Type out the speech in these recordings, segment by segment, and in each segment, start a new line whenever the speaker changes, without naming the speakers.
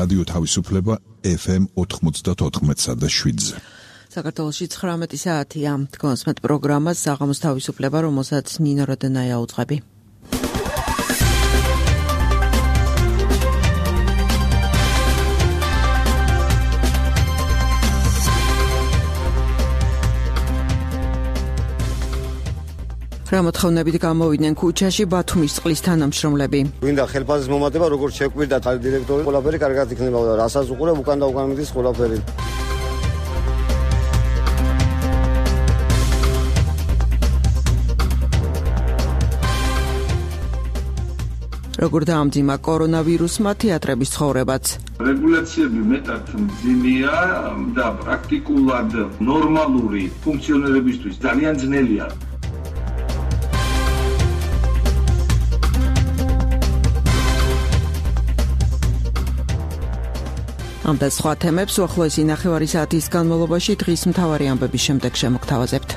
რადიო თავისუფლება FM 94.7-ზე.
საქართველოში 19 საათია. თქვენს პროგრამას საღამოს თავისუფლება, რომელსაც ნინო როდენაია უძღვები. გამოთხოვნებით გამოვიდნენ ქუჩაში ბათუმის წყლის თანამშრომლები.
გვინდა ხელფასის მომატება, როგორც შეკვირდა დირექტორი, ყველაფერი კარგად იქნება და რასაც უყურებ უკან და უკან მიდის ყველაფერი.
როგორ დაამძიმა კორონავირუსმა თეატრების ცხოვრებაც.
რეგულაციები მეტად მძიმეა და პრაქტიკულად ნორმალური ფუნქციონირებისთვის ძალიან ძნელია. ამ და სხვა თემებს უახლოესი ნახევარი საათის განმავლობაში დღის მთავარი ამბების შემდეგ შემოგთავაზებთ.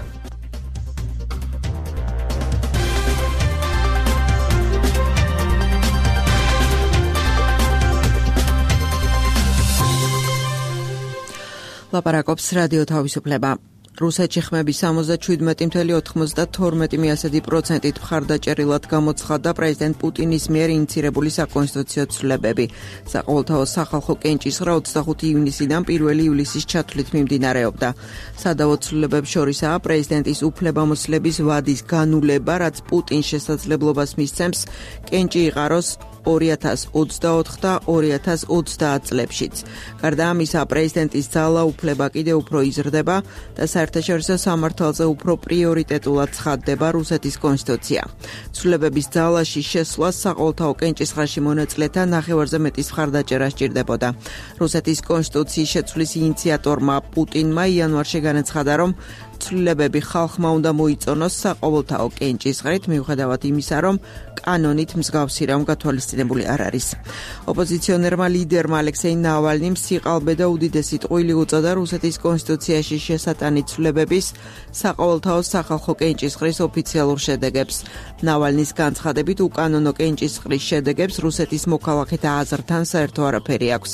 ლაპარაკობს რადიო თავისუფლება. რუსეთში ხმების 77.92%-ით მხარდაჭერილად გამოცხადდა პრეზიდენტ პუტინის მიერ ინიცირებული საკონსტიტუციო ცვლილებები. საყოველთაო სახალხო კენჭისყრა 25 ივნისიდან 1 ივლისის ჩათვლით მიმდინარეობდა. სადავო ცვლილებებს შორისაა პრეზიდენტის უფლებამოსილების ვადის განულება, რაც პუტინს შესაძლებლობას მისცემს კენჭი იყაროს 2024 და 2030 წლებშიც. გარდა ამისა, პრეზიდენტის ძალაუფლება კიდევ უფრო იზრდება და საერთაშორისო სამართალზე უფრო პრიორიტეტულად ცხადდება რუსეთის კონსტიტუცია. ცვლილებების ძალაში შესვლას საყოველთაო კენჭისყრაში მონაწილეთა ნახევარზე მეტის მხარდაჭერა სჭირდებოდა. რუსეთის კონსტიტუციის შეცვლის ინიციატორმა პუტინმა იანვარში განაცხადა, რომ ცვლილებები ხალხმა უნდა მოიწონოს საყოველთაო კენჭისყრით, მიუხედავად იმისა, რომ კანონით მსგავსი რამ გათვალისწინებული არ არის. ოპოზიციონერმა ლიდერმა ალექსეი ნავალნიმ სიყალბე და უდიდესი ტყუილი უწოდა რუსეთის კონსტიტუციაში შესატანი ცვლილებების საყოველთაო სახალხო კენჭისყრის ოფიციალურ შედეგებს. ნავალნის განცხადებით, უკანონო კენჭისყრის შედეგებს რუსეთის მოქალაქეთა აზრთან საერთო არაფერი აქვს.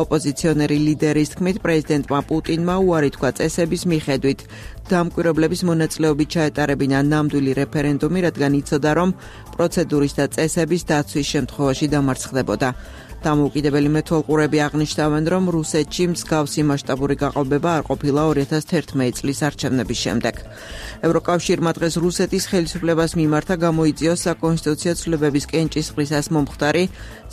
ოპოზიციონერი ლიდერის თქმით, პრეზიდენტმა პუტინმა უარი თქვა წესების მიხედვით დამკვირვებლების მონაწილეობით ჩაეტარებინა ნამდვილი რეფერენდუმი, რადგან იცოდა, რომ პროცედურის და წესების დაცვის შემთხვევაში დამარცხდებოდა. დამოუკიდებელი მეთვალყურები აღნიშნავენ, რომ რუსეთში მსგავსი მასშტაბური გაყალბება არ ყოფილა 2011 წლის არჩევნების შემდეგ. ევროკავშირმა დღეს რუსეთის ხელისუფლებას მიმართა გამოიწვიოს საკონსტიტუციო ცვლილებების კენჭისყრისას მომხდარი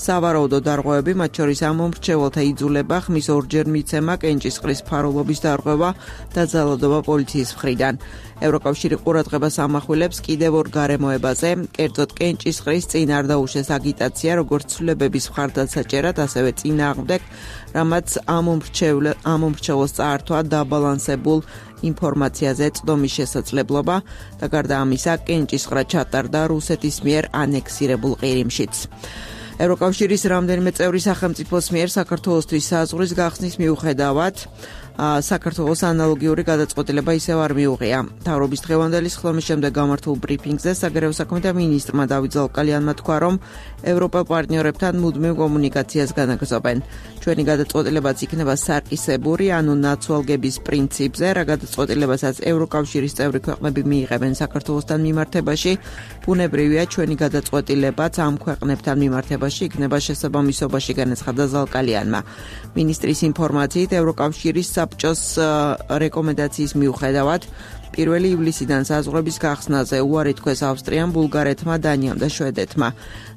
სავარაუდო დარღვევები, მათ შორის ამომრჩეველთა იძულება, ხმის ორჯერ მიცემა, კენჭისყრის ფარულობის დარღვევა და ძალადობა პოლიციის მხრიდან. ევროკავშირი ყურადღებას ამახვილებს კიდევ ორ გარემოებაზე, კერძოდ კენჭისყრის წინააღმდეგ აგიტაცია, როგორც ცვლილებების მხარდაჭერად, ასევე წინააღმდეგ, რამაც ამომრჩეველს წაართვა დაბალანსებულ ინფორმაციაზე წდომის შესაძლებლობა და გარდა ამისა, კენჭისყრა ჩატარდა რუსეთის მიერ ანექსირებულ ყირიმშიც. ევროკავშირის რამდენიმე წევრი სახელმწიფოს მიერ საქართველოსთვის საზღვრის გახსნის მიუხედავად საქართველოს ანალოგიური გადაწყვეტილება ისევ არ მიუღია. მთავრობის დღევანდელი სხდომის შემდეგ გამართულ ბრიფინგზე საგარეო საქმეთა მინისტრმა დავით ზალკალიანმა თქვა, რომ ევროპელ პარტნიორებთან მუდმივ კომუნიკაციას განაგრძობენ. ჩვენი გადაწყვეტილებაც იქნება სარკისებური, ანუ ნაცვალგების პრინციპზე, რა გადაწყვეტილებასაც ევროკავშირის წევრი ქვეყნები მიიღებენ საქართველოსთან მიმართებაში, ბუნებრივია ჩვენი გადაწყვეტილებაც ამ ქვეყნებთან მიმართებაში იქნება შესაბამისობაში, განაცხადა ზალკალიანმა. მინისტრის ინფორმაციით, ევროკავშირის საბჭოს რეკომენდაციის მიუხედავად 1 ივლისიდან საზღვრების გახსნაზე უარი თქვეს ავსტრიამ, ბულგარეთმა, დანიამ და შვედეთმა.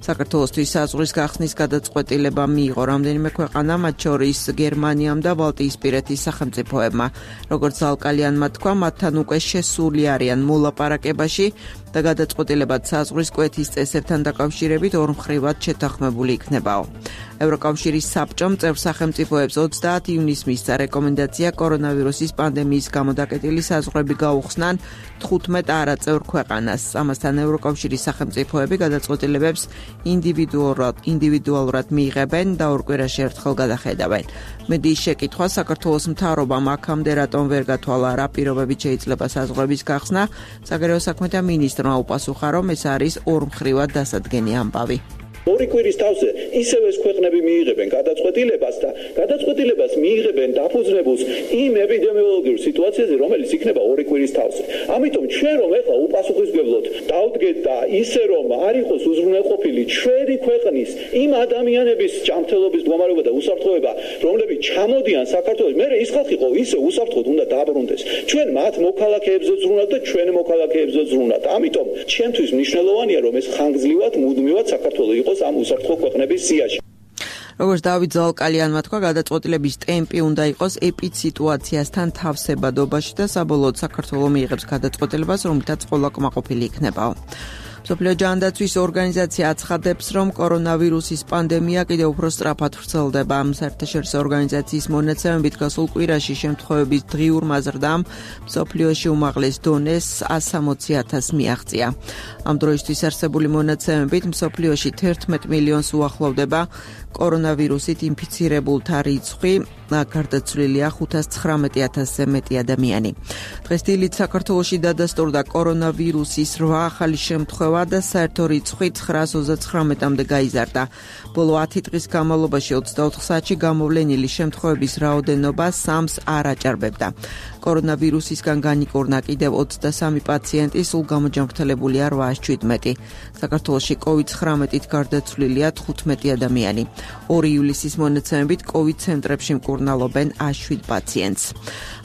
საქართველოსთვის საზღვრის გახსნის გადაწყვეტილება მიიღო რამდენიმე ქვეყანა, მათ შორის გერმანიამ და ბალტიისპირეთის სახელმწიფოებმა. როგორც ზალკალიანმა თქვა, მათთან უკვე შესული არიან მოლაპარაკებაში და გადაწყვეტილებად საზღვრის კვეთის წესებთან დაკავშირებით ორმხრივად შეთანხმებული იქნებაო. ევროკავშირის საბჭომ წევრ სახელმწიფოებს 30 ივნისს მისცა რეკომენდაცია კორონავირუსის პანდემიის გამო დაკეტილი საზღვრები გაუხსნან 15 არაწევრ ქვეყანას. ამასთან ევროკავშირის სახელმწიფოები გადაწყვეტილებებს ინდივიდუალურად მიიღებენ და ორ კვირაში ერთხელ გადახედავენ. მედიის შეკითხვა საქართველოს მთავრობამ აქამდე რატომ ვერ გათვალა, რა პირობებით შეიძლება საზღვრების გახსნა, საგარეო საქმეთა მინისტრმა უპასუხა, რომ ეს არის ორმხრივად დასადგენი ამბავი.
ორი კვირის თავზე ისევ ეს ქვეყნები მიიღებენ გადაწყვეტილებას და გადაწყვეტილებას მიიღებენ დაფუძნებულს იმ ეპიდემიოლოგიურ სიტუაციაზე, რომელიც იქნება ორი კვირის თავზე. ამიტომ ჩვენ რომ ეხლა უპასუხისმგებლოდ დავდგეთ და ისე რომ არ იყოს უზრუნველყოფილი ჩვენი ქვეყნის იმ ადამიანების ჯანმრთელობის მდგომარეობა და უსაფრთხოება, რომლებიც ჩამოდიან საქართველოს, მე ის ხალხი ხო ისე უსაფრთხოდ უნდა დააბრუნდეს. ჩვენ მათ მოქალაქეებზე ზრუნავთ და ჩვენ მოქალაქეებზე ზრუნავთ. ამიტომ ჩვენთვის მნიშვნელოვანია რომ ეს ხანგრძლივად მუდმივად საქართველოს იყოს ამ უსაფრთხო ქვეყნების სიაში.
როგორც დავით ზალკალიანმა თქვა, გადაწყვეტილების ტემპი უნდა იყოს ეპიდსიტუაციასთან თავსებადობაში და საბოლოოდ საქართველოს მიიღებს გადაწყვეტილებას, რომლითაც ყველა კმაყოფილი იქნებაო. მსოფლიო ჯანდაცვის ორგანიზაცია აცხადებს, რომ კორონავირუსის პანდემია კიდევ უფრო სწრაფად ვრცელდება. საერთაშორისო ორგანიზაციის მონაცემებით გასულ კვირაში შემთხვევების დღიურმა ზრდამ მსოფლიოში უმაღლეს დონეს 160,000 მიაღწია. ამ დროისთვის არსებული მონაცემებით მსოფლიოში 11 მილიონს უახლოვდება კორონავირუსით ინფიცირებულთა რიცხვი, გარდაცვლილია 519,000-ზე მეტი ადამიანი. დღეს დილით საქართველოში დადასტურდა კორონავირუსის 8 ახალი შემთხვევა და საერთო რიცხვი 939-მდე გაიზარდა. ბოლო 10 დღის განმავლობაში 24 საათში გამოვლენილი შემთხვევების რაოდენობა 3-ს არ აჭარბებდა. კორონავირუსისგან განიკორნა კიდევ 23 პაციენტი, სულ გამოჯანმრთელებულია 817. საქართველოში COVID-19-ით გარდაცვლილია 15 ადამიანი. 2 ივლისის მონაცემებით COVID ცენტრებში მკურნალობენ 7 პაციენტს.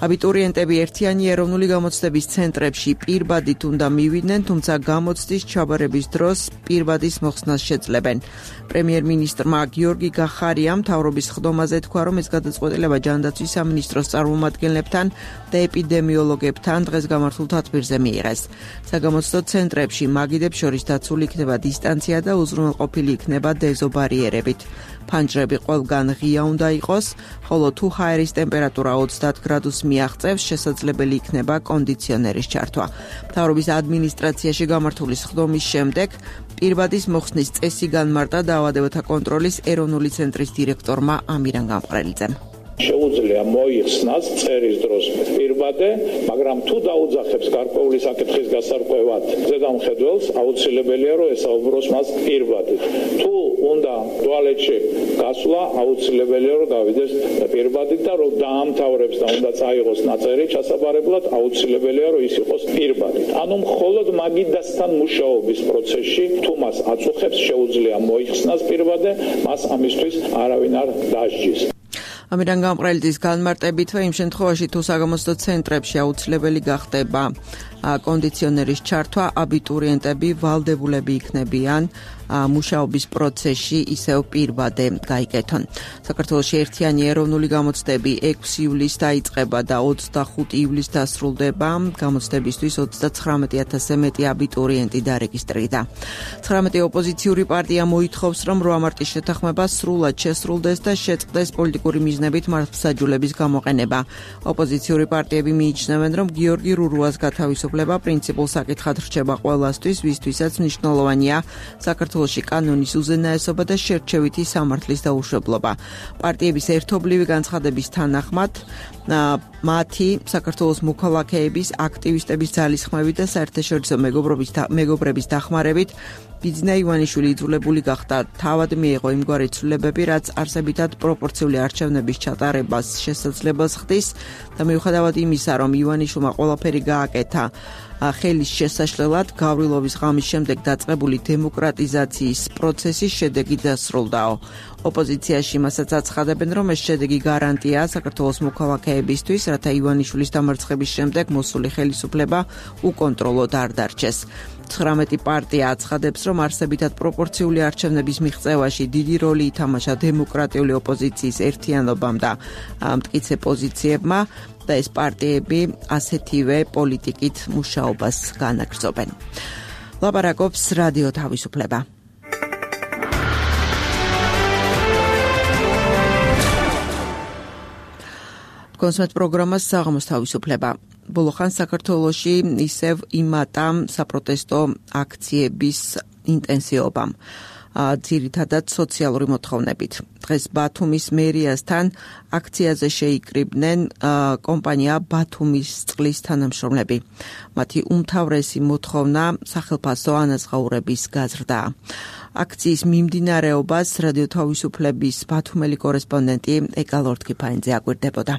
აბიტურიენტები ერთიანი ეროვნული გამოცდების ცენტრებში პირბადით უნდა მივიდნენ, თუმცა გამოცდის ჩაბარების დროს პირბადის მოხსნას შეძლებენ. პრემიერ-მინისტრმა გიორგი გახარიამ მთავრობის ხდომაზე თქვა, რომ ეს გადაწყვეტილება ჯანდაცვის სამინისტროს წარმომადგენლებთან და ეპიდემიოლოგებთან დღეს გამართულ თათბირზე მიიღეს. საგამოცდო ცენტრებში მაგიდებს შორის დაცული იქნება დისტანცია და უზრუნველყოფილი იქნება დეზობარიერებით. ფანჯრები ყველგან ღია უნდა იყოს, ხოლო თუ ჰაერის ტემპერატურა 30 გრადუსს მიაღწევს, შესაძლებელი იქნება კონდიციონერის ჩართვა. მთავრობის ადმინისტრაციაში გამართული სხდომის შემდეგ პირბადის მოხსნის წესი განმარტა დაავადებათა კონტროლის ეროვნული ცენტრის დირექტორმა ამირან გამყრელიძემ.
შეუძლია მოიხსნას წერის დროს პირბადე, მაგრამ თუ დაუძახებს გარკვეული საკითხის გასარკვევად ზედამხედველს, აუცილებელია რომ ესაუბროს მას პირბადით. თუ უნდა ტუალეტში გასვლა, აუცილებელია რომ გავიდეს პირბადით და რომ დაამთავრებს და უნდა წაიღოს ნაწერი ჩასაბარებლად, აუცილებელია რომ ის იყოს პირბადით. ანუ მხოლოდ მაგიდასთან მუშაობის პროცესში თუ მას აწუხებს, შეუძლია მოიხსნას პირბადე, მას ამისთვის არავინ არ დასჯის.
ამირან გამყრელიძის განმარტებითვე იმ შემთხვევაში თუ საგამოცდო ცენტრებში აუცილებელი გახდება კონდიციონერის ჩართვა, აბიტურიენტები ვალდებულები იქნებიან მუშაობის პროცესში ისევ პირბადე გაიკეთონ. საქართველოში ერთიანი ეროვნული გამოცდები 6 ივლისს დაიწყება და 25 ივლისს დასრულდება. გამოცდებისთვის 39,000-ზე მეტი აბიტურიენტი დარეგისტრირდა. 19 ოპოზიციური პარტია მოითხოვს, რომ 8 მარტის შეთანხმება სრულად შესრულდეს და შეწყდეს პოლიტიკური მიზნებით მართლმსაჯულების გამოყენება. ოპოზიციური პარტიები მიიჩნევენ, რომ გიორგი რურუას გათავისუფლება პრინციპულ საკითხად რჩება ყველასთვის, ვისთვისაც მნიშვნელოვანია საქართველოში კანონის უზენაესობა და შერჩევითი სამართლის დაუშვებლობა. პარტიების ერთობლივი განცხადების თანახმად მათი საქართველოს მოქალაქეების, აქტივისტების ძალისხმევით და საერთაშორისო მეგობრების დახმარებით ბიძინა ივანიშვილი იძულებული გახდა თავად მიეღო იმგვარი ცვლილებები, რაც არსებითად პროპორციული არჩევნების ჩატარებას შესაძლებას ხდის და მიუხედავად იმისა, რომ ივანიშვილმა ყველაფერი გააკეთა ხელის შესაშლელად, გავრილობის ღამის შემდეგ დაწყებული დემოკრატიზაციის პროცესის შედეგი დასრულდაო. ოპოზიციაში მასაც აცხადებენ, რომ ეს შედეგი გარანტია საქართველოს მოქალაქეებისთვის, რათა ივანიშვილის დამარცხების შემდეგ მოსული ხელისუფლება უკონტროლოდ არ დარჩეს. 19 პარტია აცხადებს, რომ არსებითად პროპორციული არჩევნების მიღწევაში დიდი როლი ითამაშა დემოკრატიული ოპოზიციის ერთიანობამ და მტკიცე პოზიციებმა და ეს პარტიები ასეთივე პოლიტიკით მუშაობას განაგრძობენ. ლაპარაკობს რადიო თავისუფლება. კონსმეთ პროგრამას საღამოს თავისუფლება. ბოლო ხანს საქართველოში ისევ იმატა საპროტესტო აქციების ინტენსივობამ. ძირითადად სოციალური მოთხოვნებით. დღეს ბათუმის მერიასთან აქციაზე შეიკრიბნენ კომპანია ბათუმის წყლის თანამშრომლები. მათი უმთავრესი მოთხოვნა სახელფასო ანაზღაურების გაზრდა. აქციის მიმდინარეობას რადიო თავისუფლების ბათუმელი კორესპონდენტი ეკა ლორთქიფაინძე აკვირდებოდა.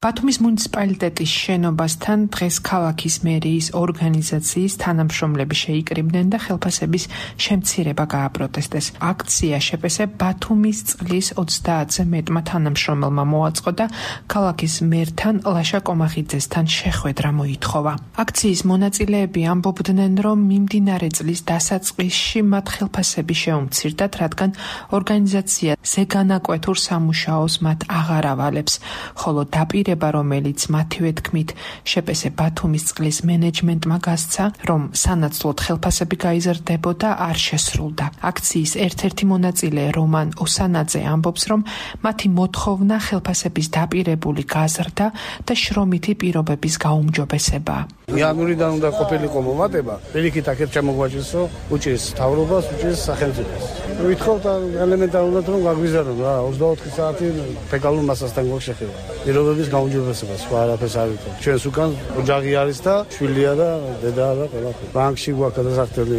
ბათუმის მუნიციპალიტეტის შენობასთან დღეს ქალაქის მერიის ორგანიზაციის თანამშრომლები შეიკრიბნენ და ხელფასების შემცირება გააპროტესტეს. აქცია შეპესე ბათუმის წყლის 30-ზე მეტმა თანამშრომელმა მოაწყო და ქალაქის მერთან ლაშა კომახიძესთან შეხვედრა მოითხოვა. აქციის მონაწილეები ამბობდნენ, რომ მიმდინარე წლის დასაწყისში მათ ხელფასები შეუმცირდათ, რადგან ორგანიზაცია ზეგანაკვეთურ სამუშაოს მათ აღარ ავალებს, ხოლო დაპირება რომელიც მათივე თქმით შეპესე ბათუმის წყლის მენეჯმენტმა გასცა, რომ სანაცვლოდ ხელფასები გაიზრდებოდა, არ შესრულდა. აქციის ერთ-ერთი მონაწილე რომან ოსანაძე ამბობს, რომ მათი მოთხოვნა ხელფასების დაპირებული გაზრდა და შრომითი პირობების გაუმჯობესება.
იანვრიდან უნდა ყოფილიყო მომატება, პირიქით აქეთ ჩამოგვაჭრისო, უჭირს მთავრობას, უჭირს სახელმწიფოს. ვითხოვთ ელემენტარულად რომ გაგვიზარდონ რა, 24 საათი ფეკალურ მასასთან გვშეხება. პირობების გაუმჯობესება, სხვა არაფერს არ ვიცი. ჩვენს უკან ოჯახი არის და შვილია და დედაა და ყველაფერი. ბანკში გვაქვს გადასახდელი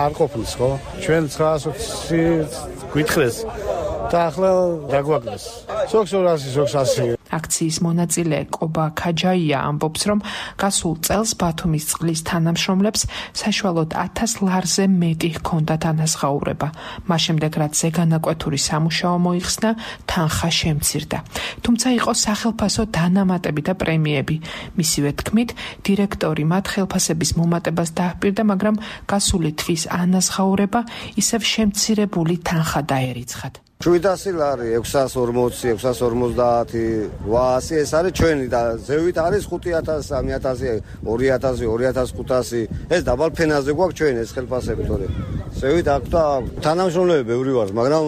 არ ყოფნის, ხო? ჩვენ 900 გვითხრეს და ახლა დაგვაგდეს. სოქს 200, სოქს 100.
აქციის მონაწილე კობა ქაჯაია ამბობს, რომ გასულ წელს ბათუმის წყლის თანამშრომლებს საშუალოდ 1000 ლარზე მეტი ჰქონდათ ანაზღაურება. მას შემდეგ, რაც ზეგანაკვეთური სამუშაო მოიხსნა, თანხა შემცირდა. თუმცა იყო სახელფასო დანამატები და პრემიები. მისივე თქმით, დირექტორი მათ ხელფასების მომატებას დაჰპირდა, მაგრამ გასული თვის ანაზღაურება ისევ შემცირებული თანხა დაერიცხათ.
700 ლარი, 640, 650, 800 ეს არის ჩვენი და ზევით არის 5000, 3000, 2000, 2500. ეს დაბალ ფენაზე გვაქვს ჩვენ ეს ხელფასები თორე. ზევით აქვს და თანამშრომლები ბევრი ვართ, მაგრამ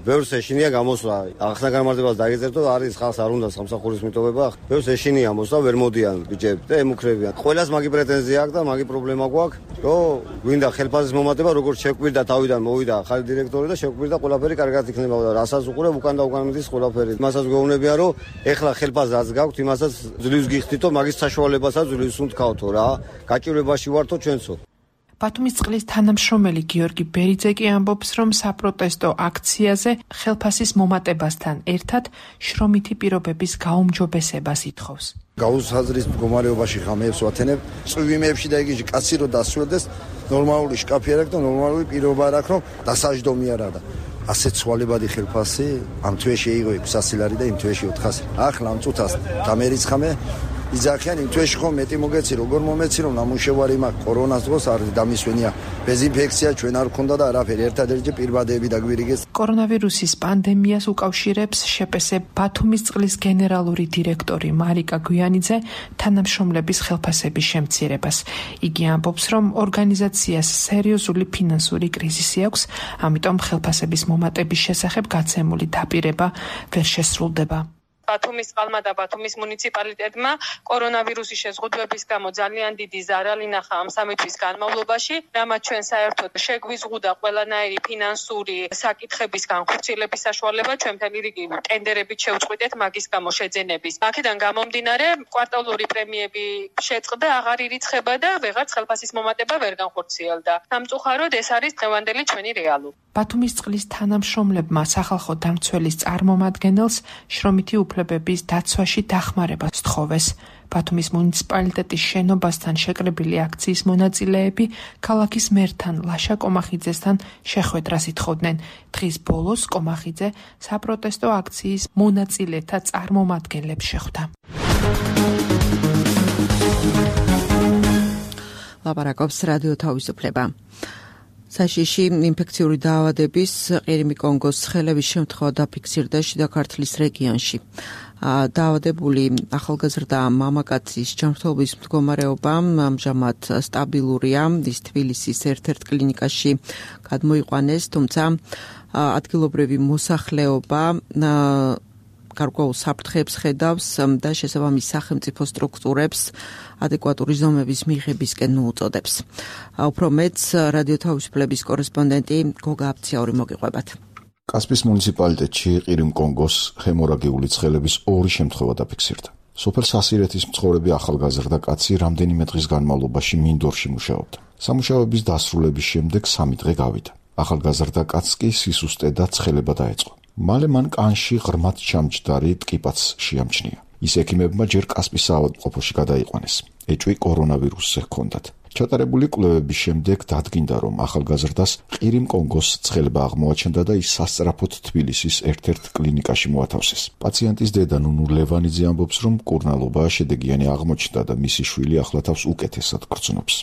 ბევრს ეშინია გამოსვლა. ახლა გამარტებას დაიწერტო, არის ხალხს არ უნდა სამსახურის მიტოვება. ბევრს ეშინია მოსვლა, ვერ მოდიან ბიჭები და ემუქრებიან. ყველას მაგი პრეტენზია აქვს და მაგი პრობლემა გვაქვს, რომ გვინდა ხელფასის მომატება, როგორც შეკვირდა თავიდან მოვიდა ახალი დირექტორი და შეკვირდა ყველაფერი კარგად იქნება. რასაც უყურებ უკან და უკან მიდის ყველაფერი. მასაც გვეუბნებიან, რომ ეხლა ხელფასს გაქვთ, იმასაც ძლივს გიხდითო, მაგის საშუალებასაც ძლივს უნდქავთო რა. გაჭირვებაში ვართო ჩვენცო.
ბათუმის წყლის თანამშრომელი გიორგი ბერიძე კი ამბობს, რომ საპროტესტო აქციაზე ხელფასის მომატებასთან ერთად შრომითი პირობების გაუმჯობესებას ითხოვს.
გაუსაზრის მდგომარეობაში ხამეებს ვათენებ, წვიმებში და იგივე კაცი რო დასრულდეს, ნორმალური შკაფი არ აქვს და ნორმალური პირობა არ აქვს, რომ დასაჯდომი არ არა. ასეთ ცვალებადი ხელფასი ამ თვეში იყო 600 ლარი და იმ თვეში 400. ახლა ამ წუთას დამერიცხამე იძახიან იმ თვეში ხომ მეტი მოგეცი, როგორ მომეცი, რომ ნამუშევარი მაქვს კორონას დროს არის დამისვენია. დეზინფექცია ჩვენ არ ქონდა და არაფერი, ერთადერთი პირბადეები დაგვირიგეს.
კორონავირუსის პანდემიას უკავშირებს შეპესე ბათუმის წყლის გენერალური დირექტორი მარიკა გვიანიძე თანამშრომლების ხელფასების შემცირებას. იგი ამბობს, რომ ორგანიზაციას სერიოზული ფინანსური კრიზისი აქვს, ამიტომ ხელფასების მომატების შესახებ გაცემული დაპირება ვერ შესრულდება.
ბათუმის წყალმა და ბათუმის მუნიციპალიტეტმა კორონავირუსის შეზღუდვების გამო ძალიან დიდი ზარალი ნახა ამ 3 თვის განმავლობაში, რამაც ჩვენ საერთოდ შეგვიზღუდა ყველანაირი ფინანსური საკითხების განხორციელების საშუალება, ჩვენ მთელი რიგი ტენდერებით შევწყვიტეთ მაგის გამო შეძენების. აქედან გამომდინარე, კვარტალური პრემიები შეწყდა, აღარ ირიცხება და ვეღარც ხელფასის მომატება ვერ განხორციელდა. სამწუხაროდ ეს არის დღევანდელი ჩვენი რეალობა.
ბათუმის წყლის თანამშრომლებმა სახალხო დამცველის წარმომადგენელს შრომითი უფლებების დაცვაში დახმარება სთხოვეს. ბათუმის მუნიციპალიტეტის შენობასთან შეკრებილი აქციის მონაწილეები ქალაქის მერთან ლაშა კომახიძესთან შეხვედრას ითხოვდნენ. დღის ბოლოს კომახიძე საპროტესტო აქციის მონაწილეთა წარმომადგენლებს შეხვდა.
ლაპარაკობს რადიო თავისუფლება. საშიში ინფექციური დაავადების ყირიმი კონგოს ცხელების შემთხვევა დაფიქსირდა შიდა ქართლის რეგიონში. დაავადებული ახალგაზრდა მამაკაცის ჯანმრთელობის მდგომარეობა ამჟამად სტაბილურია. ის თბილისის ერთ-ერთ კლინიკაში გადმოიყვანეს, თუმცა ადგილობრივი მოსახლეობა გარკვეულ საფრთხეებს ხედავს და შესაბამის სახელმწიფო სტრუქტურებს ადეკვატური ზომების მიღებისკენ მოუწოდებს. უფრო მეც რადიო თავისუფლების კორესპონდენტი გოგა აფციური მოგიყვებათ.
კასპიის მუნიციპალიტეტში ყირიმ-კონგოს ჰემორაგიული ცხელების 2 შემთხვევა დაფიქსირდა. სოფელ სასირეთის მცხოვრები ახალგაზრდა კაცი რამდენიმე დღის განმავლობაში მინდორში მუშაობდა. სამუშაოების დასრულების შემდეგ 3 დღე გავიდა. ახალგაზრდა კაცს კი სისუსტე და ცხელება დაეწყო. მალე მან კანში ღრმად ჩამჯდარი ტკიპაც შეამჩნია. ის ექიმებმა ჯერ კასპის საავადმყოფოში გადაიყვანეს. ეჭვი კორონავირუსზე ჰქონდათ. ჩატარებული კვლევების შემდეგ დადგინდა, რომ ახალგაზრდას ყირიმ-კონგოს ცხელება აღმოაჩნდა და ის სასწრაფოდ თბილისის ერთ-ერთ კლინიკაში მოათავსეს. პაციენტის დედა ნუნუ ლევანიძე ამბობს, რომ მკურნალობა შედეგიანი აღმოჩნდა და მისი შვილი ახლა თავს უკეთესად გრძნობს.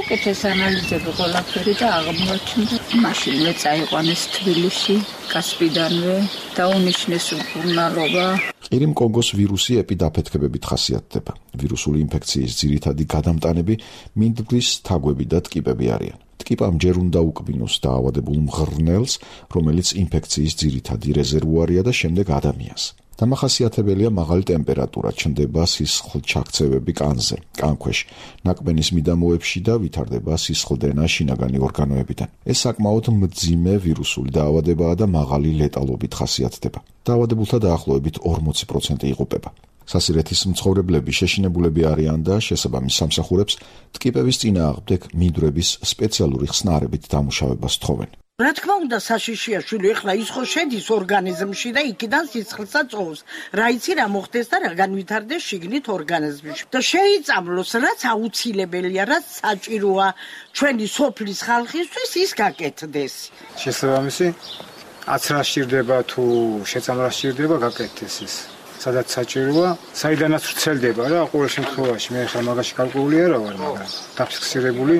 უკეთეს ანალიზები ყველაფერი და აღმოაჩნდა. მაშინვე წაიყვანეს თბილისში, კასპიდანვე დაუნიშნეს მკურნალობა.
ყირიმ-კონგოს ვირუსი ეპიდაფეთქებებით ხასიათდება. ვირუსული ინფექციის ძირითადი გადამტანები მინდვრის თაგვები და ტკიპები არიან. ტკიპამ ჯერ უნდა უკბინოს დაავადებულ მღრღნელს, რომელიც ინფექციის ძირითადი რეზერვუარია და შემდეგ ადამიანს. დამახასიათებელია მაღალი ტემპერატურა, ჩნდება სისხლჩაქცევები კანზე, კანქვეშ, ნაკბენის მიდამოებში და ვითარდება სისხლდენა შინაგანი ორგანოებიდან. ეს საკმაოდ მძიმე ვირუსული დაავადებაა და მაღალი ლეტალობით ხასიათდება. დაავადებულთა დაახლოებით 40% იღუპება. სასირეთის მცხოვრებლები შეშინებულები არიან და შესაბამის სამსახურებს ტკიპების წინააღმდეგ მინდვრების სპეციალური ხსნარებით დამუშავებას თხოვენ.
რა თქმა უნდა, საშიშია შვილი, ეხლა ის ხო შედის ორგანიზმში და იქიდან სისხლსაც წოვს. რა იცი რა მოხდეს და რა განვითარდეს შიგნით ორგანიზმში. და შეიწამლოს, რაც აუცილებელია, რაც საჭიროა ჩვენი სოფლის ხალხისთვის, ის გაკეთდეს.
შესაბამისი, აცრა სჭირდება თუ შეწამლა სჭირდება, გაკეთდეს ის. სადაც საჭიროა, საიდანაც ვრცელდება რა, ყოველ შემთხვევაში მე ხა მაგაში გარკვეული არა ვარ, მაგრამ დაფიქსირებული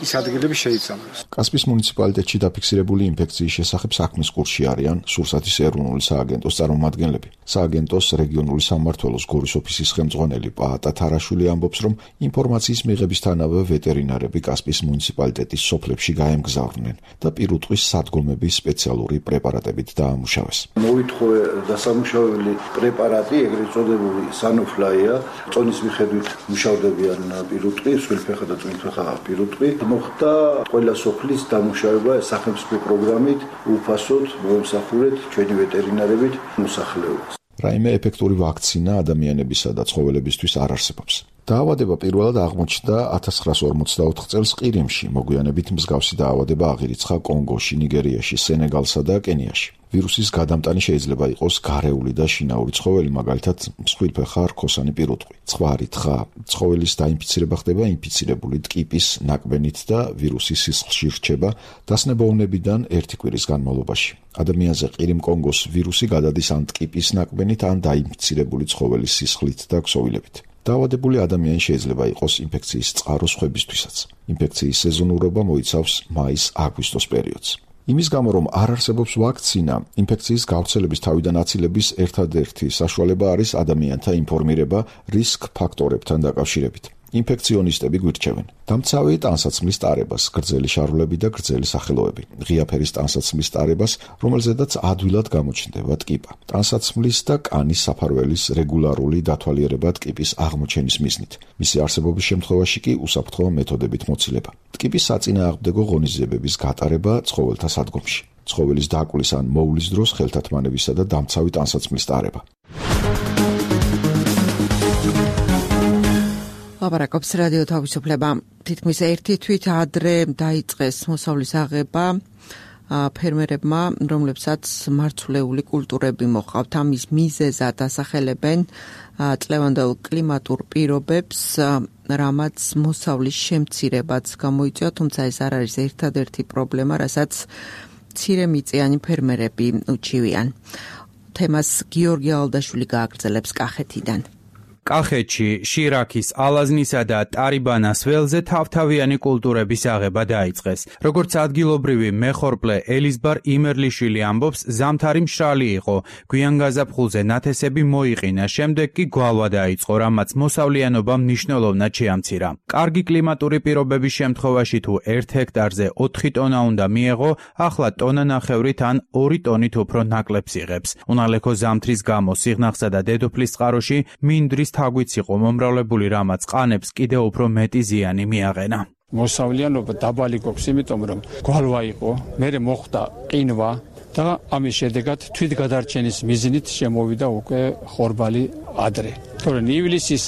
ის ადგილები შეიწამლოს.
კასპიის მუნიციპალიტეტში დაფიქსირებული ინფექციის შესახებ საქმის კურსში არიან სურსათის ეროვნული სააგენტოს წარმომადგენლები. სააგენტოს რეგიონული სამმართველოს გორის ოფისის ხელმძღვანელი პაატა თარაშვილი ამბობს, რომ ინფორმაციის მიღებისთანავე ვეტერინარები კასპიის მუნიციპალიტეტის სოფლებში გაემგზავრნენ და პირუტყვის სადგომების სპეციალური პრეპარატებით დაამუშავეს.
მოითხოვე დასამუშავებელი პრეპარატი, ეგრეთ წოდებული სანოფლაია, წონის მიხედვით მუშავდებიან პირუტყვი, სულფეხა და წვიმფეხა პირუტყვი. მოხდა ყველა სოფლის დამუშავება სახელმწიფო პროგრამით, უფასოდ მოემსახურეთ ჩვენი ვეტერინარებით მოსახლეობას.
რაიმე ეფექტური ვაქცინა ადამიანებისა და ცხოველებისთვის არ არსებობს. დაავადება პირველად აღმოჩნდა 1944 წელს ყირიმში, მოგვიანებით მსგავსი დაავადება აღირიცხა კონგოში, ნიგერიაში, სენეგალსა და კენიაში. ვირუსის გადამტანი შეიძლება იყოს გარეული და შინაური ცხოველი, მაგალითად მსხვილფეხა რქოსანი პირუტყვი. ცხვარი, თხა, ცხოველის დაინფიცირება ხდება ინფიცირებული ტკიპის ნაკბენით და ვირუსი სისხლში რჩება დასნებოვნებიდან 1 კვირის განმავლობაში. ადამიანზე ყირიმ-კონგოს ვირუსი გადადის ან ტკიპის ნაკბენით, ან დაინფიცირებული ცხოველის სისხლით და ქსოვილებით. დაავადებული ადამიანი შეიძლება იყოს ინფექციის წყარო სხვებისთვისაც. ინფექციის სეზონურობა მოიცავს მაის-აგვისტოს პერიოდს. იმის გამო, რომ არ არსებობს ვაქცინა, ინფექციის გავრცელების თავიდან აცილების ერთადერთი საშუალება არის ადამიანთა ინფორმირება რისკ ფაქტორებთან დაკავშირებით. ინფექციონისტები გვირჩევენ დამცავი ტანსაცმლის ტარებას, გრძელი შარვლები და გრძელი სახელოები, ღია ფერის ტანსაცმლის ტარებას, რომელზედაც ადვილად გამოჩნდება ტკიპა, ტანსაცმლის და კანის საფარველის რეგულარული დათვალიერება ტკიპის აღმოჩენის მიზნით. მისი არსებობის შემთხვევაში კი უსაფრთხო მეთოდებით მოცილება. ტკიპის საწინააღმდეგო ღონისძიებების გატარება ცხოველთა სადგომში. ცხოველის დაკვლის ან მოვლის დროს ხელთათმანებისა და დამცავი ტანსაცმლის ტარება.
ლაპარაკობს რადიო თავისუფლება. თითქმის ერთი თვით ადრე დაიწყეს მოსავლის აღება ფერმერებმა, რომლებსაც მარცვლეული კულტურები მოჰყავთ. ამის მიზეზად ასახელებენ წლევანდელ კლიმატურ პირობებს, რამაც მოსავლის შემცირებაც გამოიწვია, თუმცა ეს არ არის ერთადერთი პრობლემა, რასაც მცირემიწიანი ფერმერები უჩივიან. თემას გიორგი ალდაშვილი გააგრძელებს კახეთიდან.
კახეთში, შირაქის, ალაზნისა და ტარიბანას ველზე თავთავიანი კულტურების აღება დაიწყეს. როგორც ადგილობრივი მეხორპლე ელიზბარ იმერლიშვილი ამბობს, ზამთარი მშრალი იყო. გვიან გაზაფხულზე ნათესები მოიყინა, შემდეგ კი გვალვა დაიწყო, რამაც მოსავლიანობა მნიშვნელოვნად შეამცირა. კარგი კლიმატური პირობების შემთხვევაში თუ 1 ჰექტარზე 4 ტონა უნდა მიეღო, ახლა ტონა ნახევრით ან 2 ტონით უფრო ნაკლებს იღებს. უნალექო ზამთრის გამო სიღნაღსა და დედოფლის წყაროში მინდვრის თაგვიც იყო მომრავლებული, რამაც ყანებს კიდევ უფრო მეტი ზიანი მიაყენა.
მოსავლიანობა დაბალი გვაქვს, იმიტომ რომ გვალვა იყო, მერე მოხდა ყინვა და ამის შედეგად თვითგადარჩენის მიზნით შემოვიდა უკვე ხორბალი ადრე. თორემ ივლისის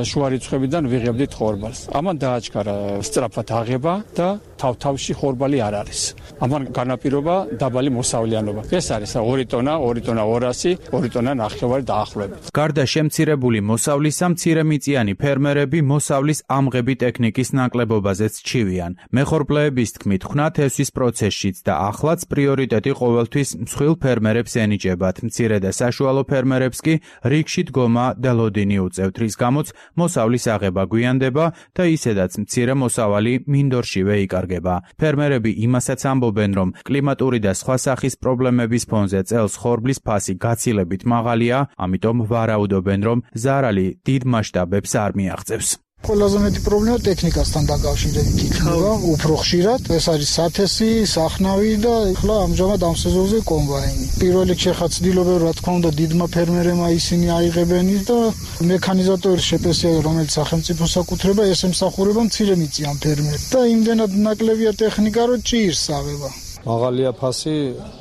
შუა რიცხვებიდან ვიღებდით ხორბალს. ამან დააჩქარა სწრაფად აღება და თავთავში ხორბალი არ არის. ამან განაპირობა დაბალი მოსავლიანობა. ეს არის 2 ტონა, 2 ტონა 200, 2 ტონა ნახევარი დაახლოებით.
გარდა შემცირებული მოსავლისა, მცირემიწიანი ფერმერები მოსავლის ამღები ტექნიკის ნაკლებობაზეც ჩივიან. მეხორპლეების თქმით, ხვნათესვის პროცესშიც და ახლაც პრიორიტეტი ყოველთვის მსხვილ ფერმერებს ენიჭებათ. მცირე და საშუალო ფერმერებს კი რიგში დგომა და ლოდინი უწევთ, რის გამოც მოსავლის აღება გვიანდება და ისედაც მცირე მოსავალი მინდორშივე იკარგება. ფერმერები იმასაც ამბობენ, რომ კლიმატური და სხვა სახის პრობლემების ფონზე წელს ხორბლის ფასი გაცილებით მაღალია, ამიტომ ვარაუდობენ, რომ ზარალი დიდ მასშტაბებს არ მიაღწევს.
ყველაზე მეტი პრობლემა ტექნიკასთან დაკავშირებით იქნება, უფრო ხშირად. ეს არის სათესი, სახნავი და ახლა ამჟამად ამ სეზონზე კომბაინი. პირველ რიგში ხა ცდილობენ, რა თქმა უნდა, დიდმა ფერმერებმა ისინი აიღებენ და მექანიზატორის შეპესია, რომელიც სახელმწიფო საკუთრება, ეს ემსახურება მცირემიწიან ფერმერებს. და იმდენად ნაკლებია ტექნიკა, რომ ჭირს აღება.
მაღალია ფასი,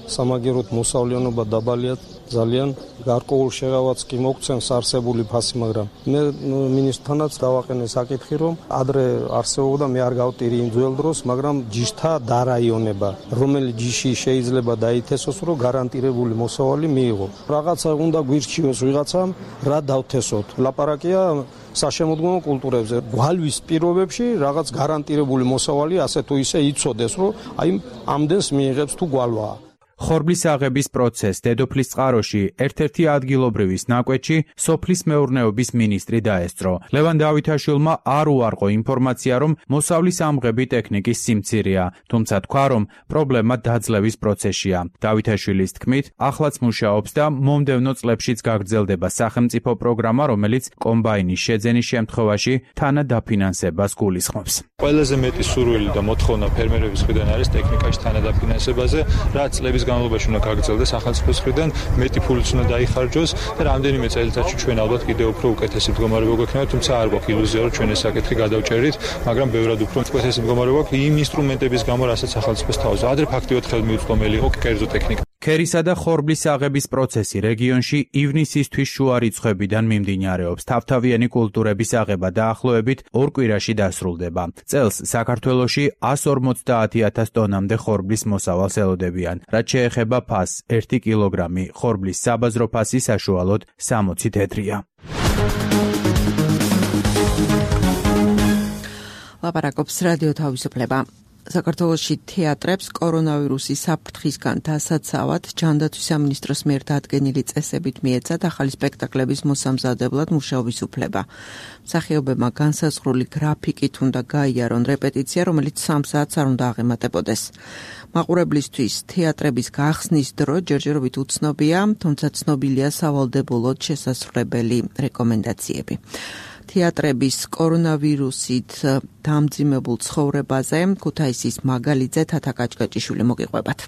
სამაგეროთ მოსავლიანობა დაბალია. ძალიან გარკვეულ შეღავაც კი მოგცემს არსებული ფასი, მაგრამ მე მინისტრთანაც დავაყენე საკითხი, რომ ადრე არსებობდა, მე არ გავტირი იმ ძველ დროს, მაგრამ ჯიშთა დარაიონება, რომელიც ჯიში შეიძლება დაითესოს, რომ გარანტირებული მოსავალი მიიღო. რაღაცა უნდა გვირჩიოს ვიღაცამ, რა დავთესოთ. ლაპარაკია საშემოდგომო კულტურებზე. გვალვის პირობებში რაღაც გარანტირებული მოსავალი ასე თუ ისე იცოდეს, რომ აი ამდენს მიიღებს თუ გვალვაა.
ხორბლის აღების პროცესს დედოფლის წყაროში ერთ-ერთი ადგილობრივის ნაკვეთში სოფლის მეურნეობის მინისტრი დაესწრო. ლევან დავითაშვილმა არ უარყო ინფორმაცია, რომ მოსავლის ამღები ტექნიკის სიმცირეა, თუმცა თქვა, რომ პრობლემა დაძლევის პროცესშია. დავითაშვილის თქმით, ახლაც მუშაობს და მომდევნო წლებშიც გაგრძელდება სახელმწიფო პროგრამა, რომელიც კომბაინის შეძენის შემთხვევაში თანადაფინანსებას გულისხმობს.
ყველაზე მეტი სურვილი და მოთხოვნა ფერმერების მხრიდან არის ტექნიკაში თანადაფინანსებაზე, რაც წლების განმავლობაში უნდა გაგრძელდეს სახელმწიფოს მხრიდან, მეტი ფულიც უნდა დაიხარჯოს და რამდენიმე წელიწადში ჩვენ ალბათ კიდევ უფრო უკეთესი მდგომარეობა გვექნება, თუმცა არ გვაქვს ილუზია, რომ ჩვენ ეს საკითხი გადავჭერით, მაგრამ ბევრად უფრო უკეთესი მდგომარეობა გვაქვს იმ ინსტრუმენტების გამო, რასაც სახელმწიფოს თავზე. ადრე ფაქტიურად ხელმიუწვდომელი იყო კერძო ტექნიკა.
ქერისა და ხორბლის აღების პროცესი რეგიონში ივნისისთვის შუა რიცხვებიდან მიმდინარეობს. თავთავიანი კულტურების აღება დაახლოებით 2 კვირაში დასრულდება. წელს საქართველოში 150,000 ტონამდე ხორბლის მოსავალს ელოდებიან. რაც შეეხება ფასს, 1 კილოგრამი ხორბლის საბაზრო ფასი საშუალოდ 60 თეთრია.
ლაპარაკობს რადიო თავისუფლება. საქართველოში თეატრებს კორონავირუსის საფრთხისგან დასაცავად ჯანდაცვის სამინისტროს მიერ დადგენილი წესებით მიეცათ ახალი სპექტაკლების მოსამზადებლად მუშაობის უფლება. მსახიობებმა განსაზღვრული გრაფიკით უნდა გაიარონ რეპეტიცია, რომელიც 3 საათს არ უნდა აღემატებოდეს. მაყურებლისთვის თეატრების გახსნის დრო ჯერჯერობით უცნობია, თუმცა ცნობილია სავალდებულოდ შესასრულებელი რეკომენდაციები. თეატრების კორონავირუსით დამძიმებულ ცხოვრებაზე ქუთაისის მაგალიძე თათა კაჭკაჭიშვილი მოგიყვებათ.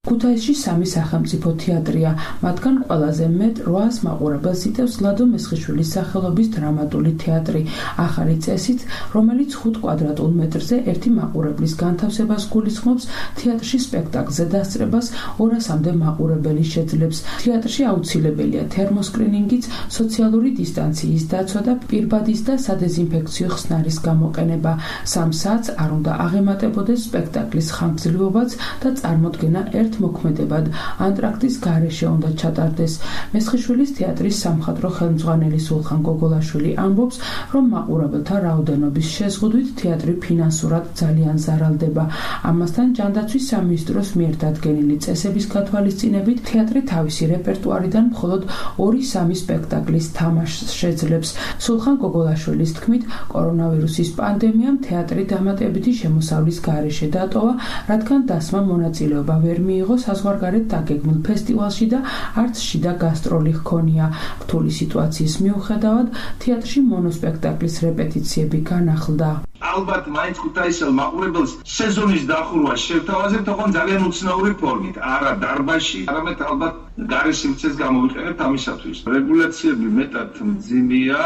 ქუთაისში 3 სახელმწიფო თეატრია, მათგან ყველაზე მეტ 800 მაყურებელს იტევს ლადო მესხიშვილის სახელობის დრამატული თეატრი, ახალი წესით, რომელიც 5 კვადრატულ მეტრზე 1 მაყურებლის განთავსებას გულისხმობს, თეატრში სპექტაკლზე დასწრებას 200-მდე მაყურებელი შეძლებს. თეატრში აუცილებელია თერმოსკრინინგიც, სოციალური დისტანციის დაცვა და პირბადის და სადეზინფექციო ხსნარის გამოყენება. 3 საათს არ უნდა აღემატებოდეს სპექტაკლის ხანგრძლივობაც და წარმოდგენა ერთ მოქმედებად ანტრაქტის გარეშე უნდა ჩატარდეს. მესხიშვილის თეატრის სამხატვრო ხელმძღვანელი სულხან გოგოლაშვილი ამბობს, რომ მაყურებელთა რაოდენობის შეზღუდვით თეატრი ფინანსურად ძალიან ზარალდება. ამასთან ჯანდაცვის სამინისტროს მიერ დადგენილი წესების გათვალისწინებით თეატრი თავისი რეპერტუარიდან მხოლოდ 2-3 სპექტაკლის თამაშს შეძლებს. სულხან გოგოლაშვილის თქმით, კორონავირუსის პანდემიამ თეატრი დამატებითი შემოსავლის გარეშე დატოვა, რადგან დასმა მონაწილეობა ვერ მიიღო საზღვარგარეთ დაგეგმილ ფესტივალში და არც შიდა გასტროლი ჰქონია. რთული სიტუაციის მიუხედავად, თეატრში მონოსპექტაკლის რეპეტიციები განახლდა.
ალბათ მაინც ქუთაისელ მაყურებელს სეზონის დახურვა შევთავაზებთ, თქო ძალიან უცნაური ფორმით, არა დარბაზში, არამედ ალბათ გარე სივრცეს გამოვიყენებთ ამისათვის. რეგულაციები მეტად მძიმეა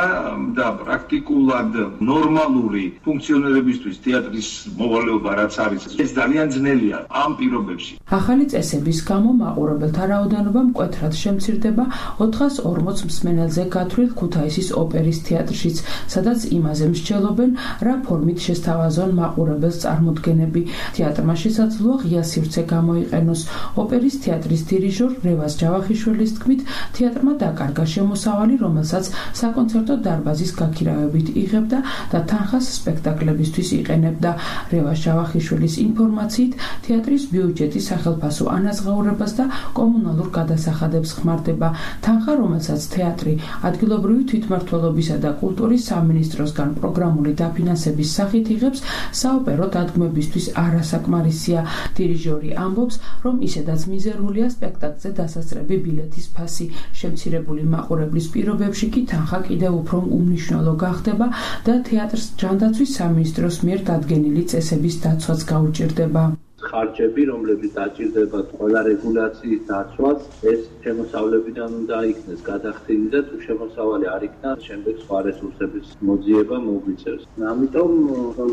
და პრაქტიკულად ნორმალური ფუნქციონირებისთვის თეატრის მოვალეობა რაც არის, ეს ძალიან ძნელია ამ პირობებში.
ახალი წესების გამო მაყურებელთა რაოდენობა მკვეთრად შემცირდება 440 მსმენელზე გათვლილ ქუთაისის ოპერის თეატრშიც, სადაც იმაზე მსჯელობენ, რა ფორმით შესთავაზონ მაყურებელს წარმოდგენები. თეატრმა შესაძლოა ღია სივრცე გამოიყენოს. ოპერის თეატრის დირიჟორ რევაზ ჯავახიშვილის თქმით, თეატრმა დაკარგა შემოსავალი, რომელსაც საკონცერტო დარბაზის გაქირავებით იღებდა და თანხას სპექტაკლებისთვის იყენებდა. რევაზ ჯავახიშვილის ინფორმაციით, თეატრის ბიუჯეტი სახელფასო ანაზღაურებას და კომუნალურ გადასახადებს ხმარდება. თანხა, რომელსაც თეატრი ადგილობრივი თვითმმართველობისა და კულტურის სამინისტროსგან პროგრამული დაფინანსების სახით იღებს, საოპერო დადგმებისთვის არასაკმარისია. დირიჟორი ამბობს, რომ ისედაც მიზერულია სპექტაკლზე დასასწრები ბილეთის ფასი. შემცირებული მაყურებლის პირობებში კი თანხა კიდევ უფრო უმნიშვნელო გახდება და თეატრს ჯანდაცვის სამინისტროს მიერ დადგენილი წესების დაცვაც გაუჭირდება.
ხარჯები, რომლებიც დაჭირდებათ ყველა რეგულაციის დაცვას, ეს შემოსავლებიდან უნდა იქნეს გადახდილი და თუ შემოსავალი არ იქნა, შემდეგ სხვა რესურსების მოძიება მოგვიწევს. ამიტომ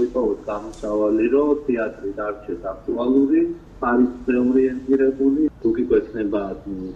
ვიყავთ გამოსავალი, რომ თეატრი დარჩეს აქტუალური, არის ორიენტირებული, თუ გიგვექნება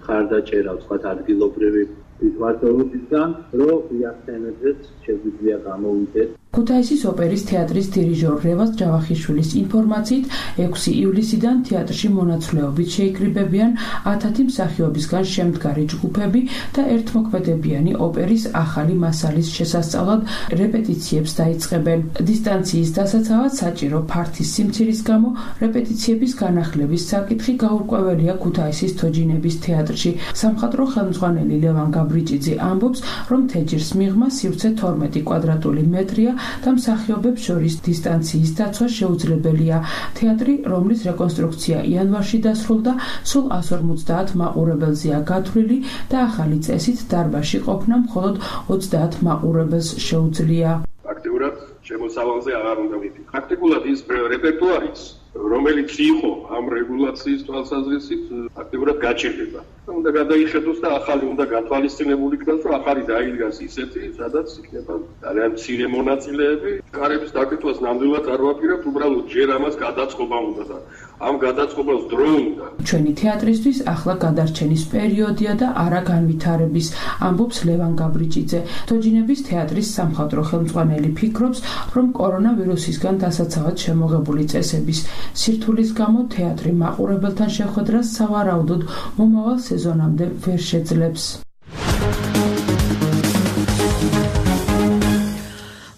ხარდაჭერა სხვა ადგილობრივი თვითმმართველობისგან, რომ იახტენებდეს შეგვიძლია გამოვიდეთ.
ქუთაისის ოპერის თეატრის დირიჟორ რევაზ ჯავახიშვილის ინფორმაციით, 6 ივლისიდან თეატრში მონაცვლეობით შეიკრიბებიან 1000 მსახიობისგან შემდგარი ჯგუფები და ერთმოქმედებიანი ოპერის ახალი მასალის შესასწავლად რეპეტიციებს დაიწყებენ. დისტანციის დასაცავად საჭირო ფართის სიმცირის გამო რეპეტიციების განახლების საკითხი გაურკვეველია ქუთაისის თოჯინების თეატრში. სამხატვრო ხელმძღვანელი ლევან გაბრიჭიძე ამბობს, რომ თეჯის მიღმა სივრცე 12 კვადრატული მეტრია და მსახიობებს შორის დისტანციის დაცვა შეუძლებელია. თეატრი, რომლის რეკონსტრუქცია იანვარში დასრულდა, სულ 150 მაყურებელზეა გათვლილი და ახალი წესით დარბაზში ყოფნა მხოლოდ 30 მაყურებელს შეუძლია.
აქტიურად შემოსავალზე აღარ უნდა ვიფიქროთ. პრაქტიკულად ის რეპერტუარიც, რომელიც იყო ამ რეგულაციის თვალსაზრისით, აქტიურად გაჩერდება. უნდა გადაიხედოს და ახალი უნდა გათვალისწინებული იქნას, რომ ახალი დაიდგას ისეთი, სადაც იქნება ძალიან მცირე მონაწილეები. კარების დაკეთებას ნამდვილად არ ვაპირებთ, უბრალოდ ჯერ ამას გადაწყობა უნდა და ამ გადაწყობას დრო უნდა.
ჩვენი თეატრისთვის ახლა გადარჩენის პერიოდია და არა განვითარების, ამბობს ლევან გაბრიჭიძე. თოჯინების თეატრის სამხატვრო ხელმძღვანელი ფიქრობს, რომ კორონავირუსისგან დასაცავად შემოღებული წესების სირთულის გამო თეატრი მაყურებელთან შეხვედრას სავარაუდოდ მომავალ სეზონამდე ვერ შეძლებს.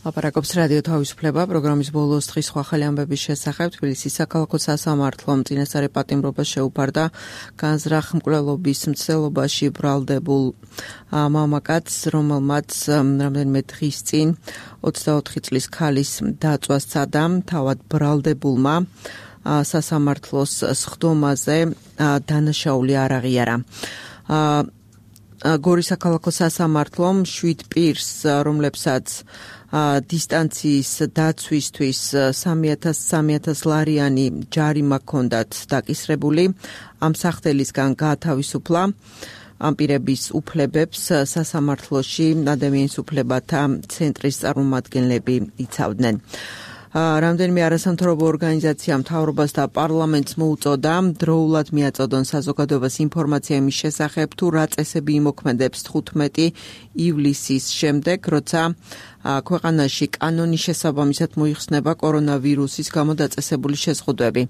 ლაპარაკობს რადიო თავისუფლება პროგრამის ბოლოს დღის სხვა ხელი ამბების შესახებ. თბილისის საქალაქო სასამართლომ წინასწარი პატიმრობას შეუფარდა განზრახ მკვლელობის მცდელობაში ბრალდებულ მამაკაცს, რომელმაც რამდენიმე დღის წინ 24 წლის ქალის დაწვა სცადა. თავად ბრალდებულმა სასამართლოს სხდომაზე დანაშაული არ აღიარა. გორის საქალაქო სასამართლომ 7 პირს, რომლებსაც დისტანციის დაცვისთვის 3,000 ლარიანი ჯარიმა ჰქონდათ დაკისრებული, ამ სახდელისგან გაათავისუფლა. ამ პირების უფლებებს სასამართლოში ადამიანის უფლებათა ცენტრის წარმომადგენლები იცავდნენ. რამდენიმე არასამთავრობო ორგანიზაცია მთავრობას და პარლამენტს მოუწოდა დროულად მიაწოდონ საზოგადოებას ინფორმაცია იმის შესახებ, თუ რა წესები იმოქმედებს 15 ივლისის შემდეგ, როცა ქვეყანაში კანონის შესაბამისად მოიხსნება კორონავირუსის გამო დაწესებული შეზღუდვები.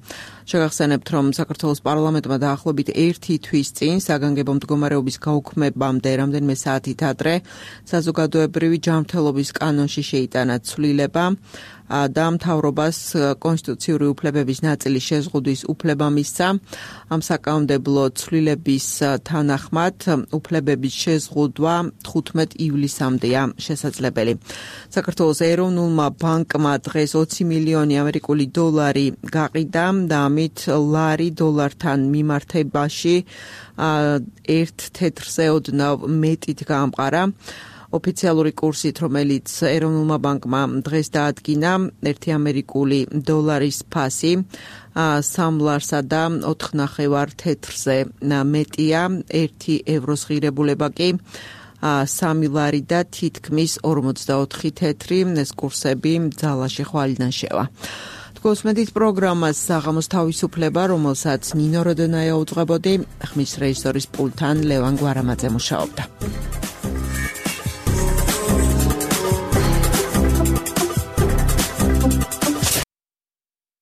შეგახსენებთ, რომ საქართველოს პარლამენტმა დაახლოებით 1 თვის წინ საგანგებო მდგომარეობის გაუქმებამდე რამდენიმე საათით ადრე საზოგადოებრივი ჯანმრთელობის კანონში შეიტანა ცვლილება და მთავრობას კონსტიტუციური უფლებების ნაწილის შეზღუდვის უფლება მისცა. ამ საკანონმდებლო ცვლილების თანახმად უფლებების შეზღუდვა 15 ივლისამდეა შესაძლებელი. საქართველოს ეროვნულმა ბანკმა დღეს 20 მილიონი ამერიკული დოლარი გაყიდა და ამით ლარი დოლართან მიმართებაში 1 თეთრზე ოდნავ მეტით გაამყარა. ოფიციალური კურსით, რომელიც ეროვნულმა ბანკმა დღეს დაადგინა, 1 ამერიკული დოლარის ფასი 3 ლარსა და 4.5 თეთრზე მეტია, 1 ევროს ღირებულება კი 3 ლარი და თითქმის 44 თეთრი. ეს კურსები ძალაში ხვალიდან შევა. გოსმედით პროგრამას საღამოს თავისუფლება, რომელსაც ნინო როდონაია უძღვებოდი, ხმის რეჟისორის პულტთან ლევან გვარამაძე მუშაობდა.